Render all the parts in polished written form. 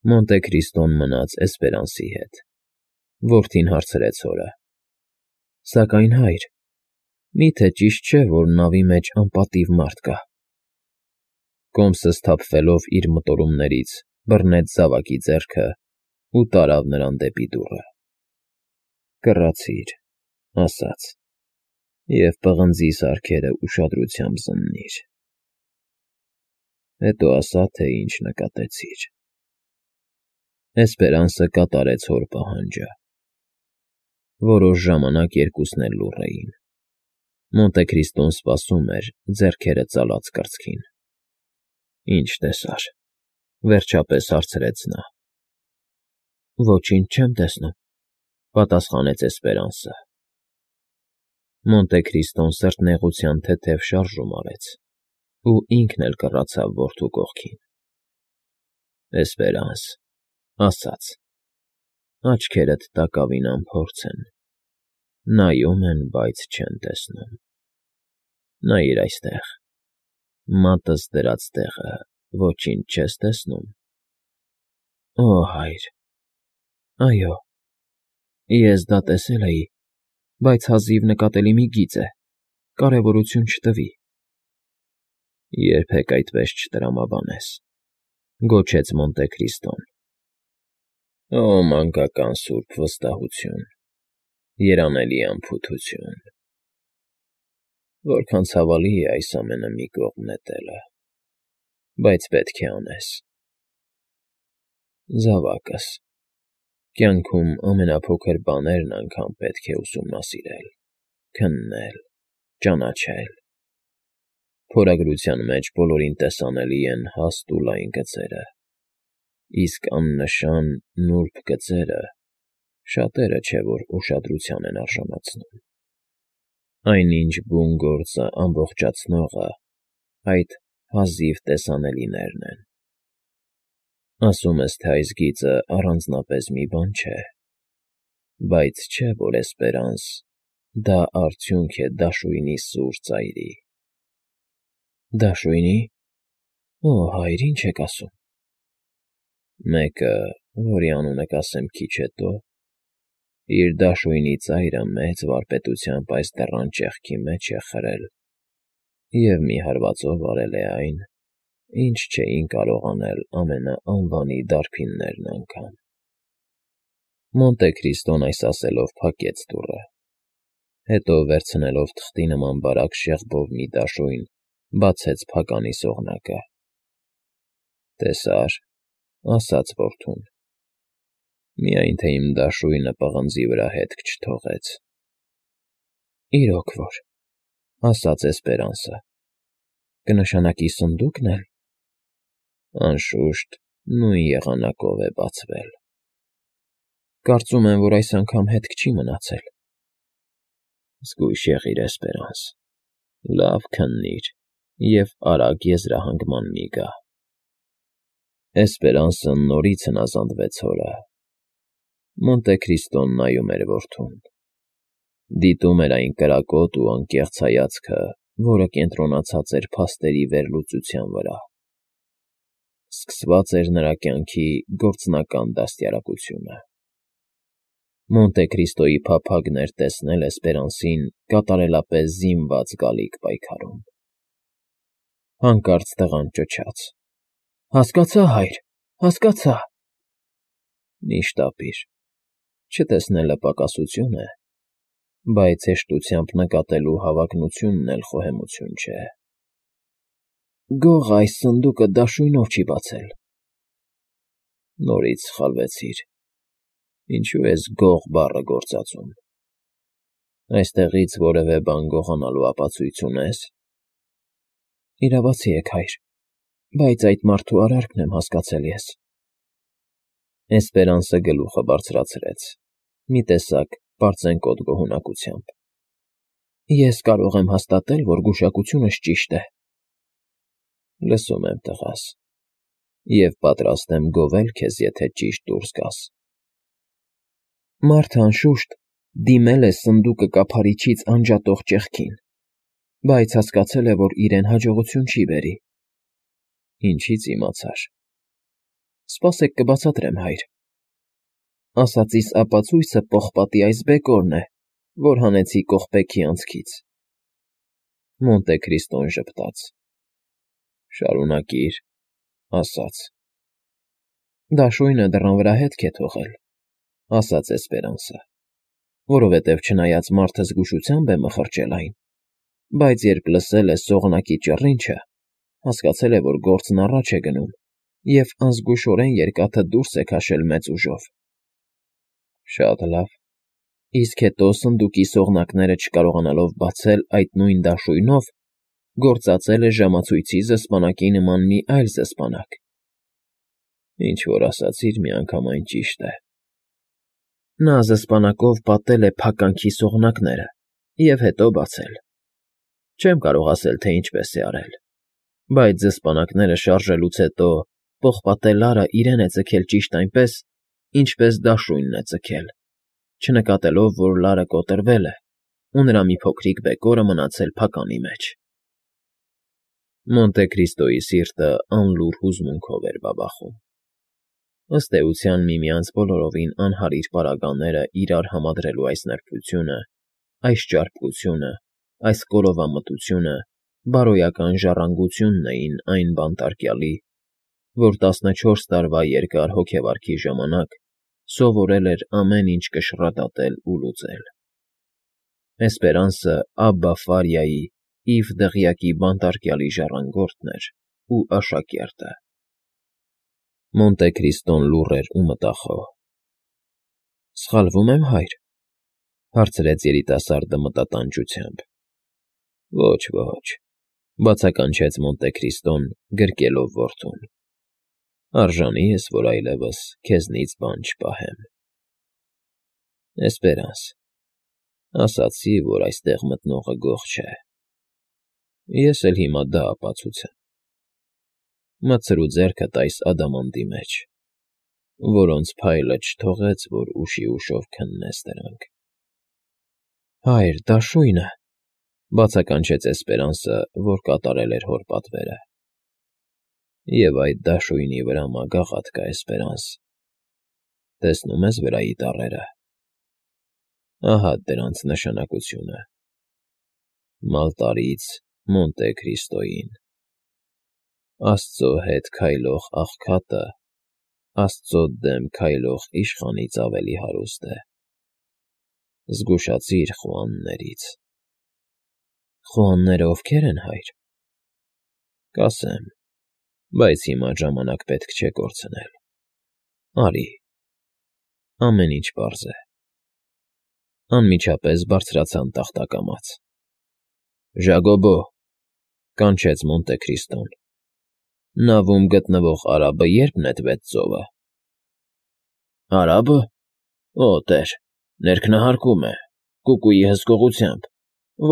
Մոնտե Քրիստոն մնաց Էսպերանսի հետ։ Որդին հարցրեց հորը. Սակայն հայր, միթե ճիշտ չէ, որ նավի մեջ անպատիվ մարդ կա։ Կոմսը սթափվելով իր մտորումներից բռնեց զավակի ձեռքը ու տարավ նրան դեպի դուռը։ Կռացիր, ասաց, և պղնձի սարքերը ուշադրությամբ զննիր։ Հետո ասա, թե ինչ նկատեցիր։ Էսպերանսը կատարեց հոր պահանջը։ Որոշ ժամանակ երկուսն էլ լուռ էին։ Մոնտե Քրիստոն սպասում էր, ձեռքերը ծալած կրծքին։ Ինչ տեսար, վերջապես հարցրեց նա։ Ոչինչ չեմ տեսնում, պատասխանեց Էսպերանսը։ Մոնտե Քրիստոն սրտնեղության թեթև շարժում արեց ու ինքն էլ կռացավ որդու կողքին։ Էսպերանս, ասաց, աչքերդ տակավին անփորձ են, նայում են, բայց չեն տեսնում։ Նայիր այստեղ, մատս դրած տեղը ոչինչ չես տեսնում։ Օ, հայր, այո, ես դա տեսել էի, բայց հազիվ նկատելի մի գիծ է, կարևորություն չտվի։ Երբեք այդպես չտրամաբանես, գոչեց Մոնտե Քրիստոն։ Օ, մանկական սուրբ վստահություն, երանելի անփութություն։ Որքան ցավալի է այս ամենը մի կողմ նետելը, բայց պետք է անես։ Զավակս, կյանքում ամենափոքր բաներն անգամ պետք է ուսումնասիրել, քննել, ճանաչել։ Փորագրության մեջ բոլորին տեսանելի են հաստ ու լայն գծերը, իսկ աննշան նուրբ գծերը շատերը չէ որ ուշադրության են արժանացնում։ Այնինչ բուն գործը ամբողջացնողը այդ հազիվ տեսանելիներն են։ Ասում ես, թե այս գիծը առանձնապես մի բան չէ, բայց չէ, որ Էսպերանս, դա արդյունք է դաշույնի սուր ծայրի։ Դաշույնի՞։ Օ, հայր, ինչ եք ասում։ Մեկը, որի անունը կասեմ քիչ հետո, իր դաշույնի ծայրը մեծ վարպետությամբ այս դռան ճեղքի մեջ է խրել և մի հարվածով արել է այն, ինչ չէին կարող անել ամենաանվանի դարբիններն անգամ։ Մոնտե Քրիստոն այս ասելով փակեց դուռը, հետո վերցնելով թղթի նման բարակ շեղբով մի դաշույն, բացեց փականի սողնակը։ Տեսա՞ր, ասաց որդուն, միայն թե իմ դաշույնը պղնձի վրա հետք չթողեց։ Իրոք որ, ասաց Էսպերանսը, կնշանակի սնդուկն էլ։ Անշուշտ, նույն եղանակով է բացվել։ Կարծում եմ, որ այս անգամ հետք չի մնացել։ Զգույշ եղիր, Էսպերանս, լավ քննիր և արագ եզրահանգման մի գա։ Էսպերանսը նորից հնազանդվեց հորը։ Մոնտե Քրիստոն նայում էր որդուն։ Դիտում էր այն կրակոտ ու անկեղծ հայացքը, որը կենտրոնացած էր փաստերի վերլուծության վրա։ Սկսված էր նրա կյանքի գործնական դաստիարակությունը։ Մոնտե Քրիստոյի փափագն էր տեսնել Էսպերանսին կատարելապես զինված գալիք պայքարում։ Հանկարծ տղան ճչաց. Հասկացա, հայր, հասկացա։ Մի շտապիր, չտեսնելը պակասություն է, բայց հեշտությամբ նկատելու հավակնությունն էլ խոհեմություն չէ։ Գողը այս սնդուկը դաշույնով չի բացել։ Նորից սխալվեցիր։ Ինչու ես գող բառը գործածում։ Այստեղից որևէ բան գողանալու ապացույց ունե՞ս։ Իրավացի եք, հայր, բայց այդ մարդու արարքն եմ հասկացել ես։ Էսպերանսը գլուխը բարձրացրեց, մի տեսակ պարծենկոտ գոհունակությամբ։ Ես կարող եմ հաստատել, որ գուշակությունս ճիշտ է։ Լսում եմ, տղաս, և պատրաստ եմ գովել քեզ, եթե ճիշտ դուրս գաս։ Մարդը, անշուշտ, դիմել է սնդուկը կափարիչից անջատող ճեղքին, բայց հասկացել է, որ իրեն հաջողություն չի բերի։ Ինչի՞ց իմացար։ Սպասեք կբացատրեմ, հայր։ Ասածիս ապացույցը պողպատի այս բեկորն է, որ հանեցի կողպեքի անցքից։ Մոնտե Քրիստոն ժպտաց։ Շարունակիր, ասաց։ Դաշույնը դռան վրա հետք է թողել, ասաց Էսպերանսը, որովհետև չնայած մարդը զգուշությամբ է մխրճել այն, բայց երբ լսել է սողնակի ճռինչը, հասկացել է, որ գործն առաջ է գնում, և անզգուշորեն երկաթը դուրս է քաշել մեծ ուժով։ Շատ լավ, իսկ հետո սնդուկի սողնակները չկարողանալով բացել այդ նույն դաշույնով, գործածել է ժամացույցի զսպանակի նման մի այլ զսպանակ։ Ինչ որ ասացիր, միանգամայն ճիշտ է։ Նա զսպանակով պատել է փականքի սողնակները և հետո բացել։ Չեմ կարող ասել, թե ինչպես է արել, բայց զսպանակները շարժելուց հետո պողպատե լարը իրեն է ձգել ճիշտ այնպես, ինչպես դաշույնն է ձգել, չնկատելով, որ լարը կոտրվել է, ու նրա մի փոքրիկ բեկորը մնացել փականի մեջ։ Մոնտե Քրիստոյի սիրտը անլուռ հուզմունքով էր բաբախում։ Ըստ էության միմյանց բոլորովին անհարիր պարագաները իրար համադրելու այս նրբությունը, այս ճարպկությունը, այս կորովամտությունը բարոյական ժառանգությունն էին այն բանտարկյալի, որ 14 տարվա երկար հոգեվարքի ժամանակ սովորել էր ամեն ինչ կշռադատել ու լուծել։ Էսպերանսը Աբբա Ֆարիայի Իվ դղյակի բանտարկյալի ժառանգորդն էր ու աշակերտը։ Մոնտե Քրիստոն լուռ էր ու մտախոհ։ Սխալվո՞ւմ եմ, հայր, հարցրեց երիտասարդը մտատանջությամբ։ Ոչ, ոչ, բացականչեց Մոնտե Քրիստոն, գրկելով որդուն։ Արժանի ես, որ այլևս քեզնից բան չպահեմ։ Էսպերանս, ասացի, որ այստեղ մտնողը գող չէ։ Ես էլ հիմա դա ապացուցեմ։ Մտցրու ձեռքդ այս ադամանդի մեջ, որոնց փայլը չթողեց, որ ուշի ուշով քննես դրանք։ Հայր, դաշույնը, բացականչեց Էսպերանսը, որ կատարել էր հոր պատվերը։ Եվ այդ դաշույնի վրա մագաղաթ կա, Էսպերանս։ Տեսնում ես վրայի տառերը։ Ահա դրանց նշանակությունը։ Մալտարից Մոնտե Քրիստոյին։ Աստծո հետ քայլող աղքատը Աստծո դեմ քայլող իշխանից ավելի հարուստ է։ Զգուշացիր խոհաններից։ Խոհանները ովքեր են, հայր։ Կասեմ, բայց հիմա ժամանակ պետք չէ կորցնել։ Արի։ Ամեն ինչ պարզ է։ Անմիջապես բարձրացան տախտակամաց։ Ժագոբո, կանչեց Մոնտե Քրիստոն։ Նավում գտնվող արաբը ե՞րբ նետվեց ծովը։ Արաբը։ Օ, տեր, ներքնահարկում է, կուկուի հսկողությամբ,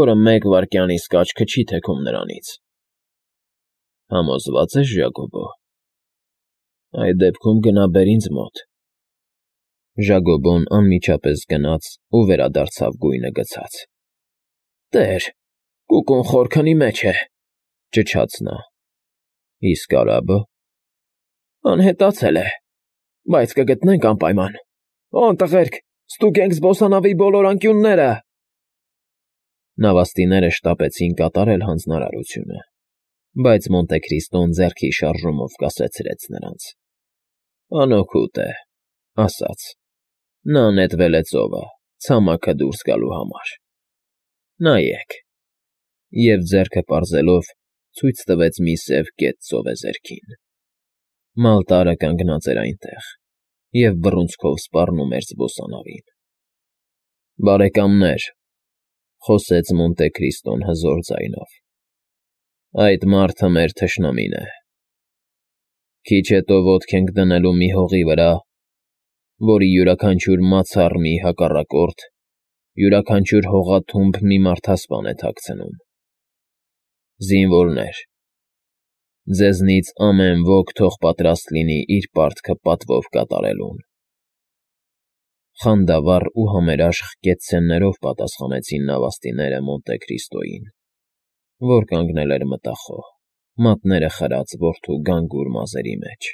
որը 1 վայրկյանից աչքը չի թեքում նրանից։ Համոզվա՞ծ ես, Ժագոբո։ Այդ դեպքում գնա բեր ինձ մոտ։ Ժագոբոն անմիջապես գնաց ու վերադարձավ գույնը գցած։ Տեր, կուկուն խորքնի մեջ է, ճչաց նա։ Իսկ արաբը։ Անհետացել է, բայց կգտնենք անպայման։ Օն տղերք, ստուգենք զբոսանավի բոլոր անկյունները։ Նավաստիները շտապեցին կատարել հանձնարարությունը, բայց Մոնտե Քրիստոն ձեռքի շարժումով կասեցրեց նրանց։ Անօգուտ է, ասաց։ Նա նետվել է ծովը, ցամաքը դուրս գալու համար։ Նայեք։ Եվ ձեռքը պարզելով ցույց տվեց մի սև կետ ծովեզերքին։ Մալտարը կանգնած էր այնտեղ և բռունցքով սպառնում էր զբոսանավին։ Բարեկամներ, խոսեց Մոնտե Քրիստոն հզոր ձայնով, այդ մարդը մեր թշնամին է։ Քիչ հետո ոտք ենք դնելու մի հողի վրա, որի յուրաքանչյուր մացառմի հակառակորդ յուրաքանչյուր հողաթումբ մի մարդասպան է թաքցնում։ Զինվորներ, ձեզնից ամեն ոք թող պատրաստ լինի իր պարտքը պատվով կատարելուն։ Խանդավառ ու համերաշխ կեցցեններով պատասխանեցին նավաստիները Մոնտե Քրիստոյին, որ կանգնել էր մտախոհ, մատները խրած որդու գանգուր մազերի մեջ։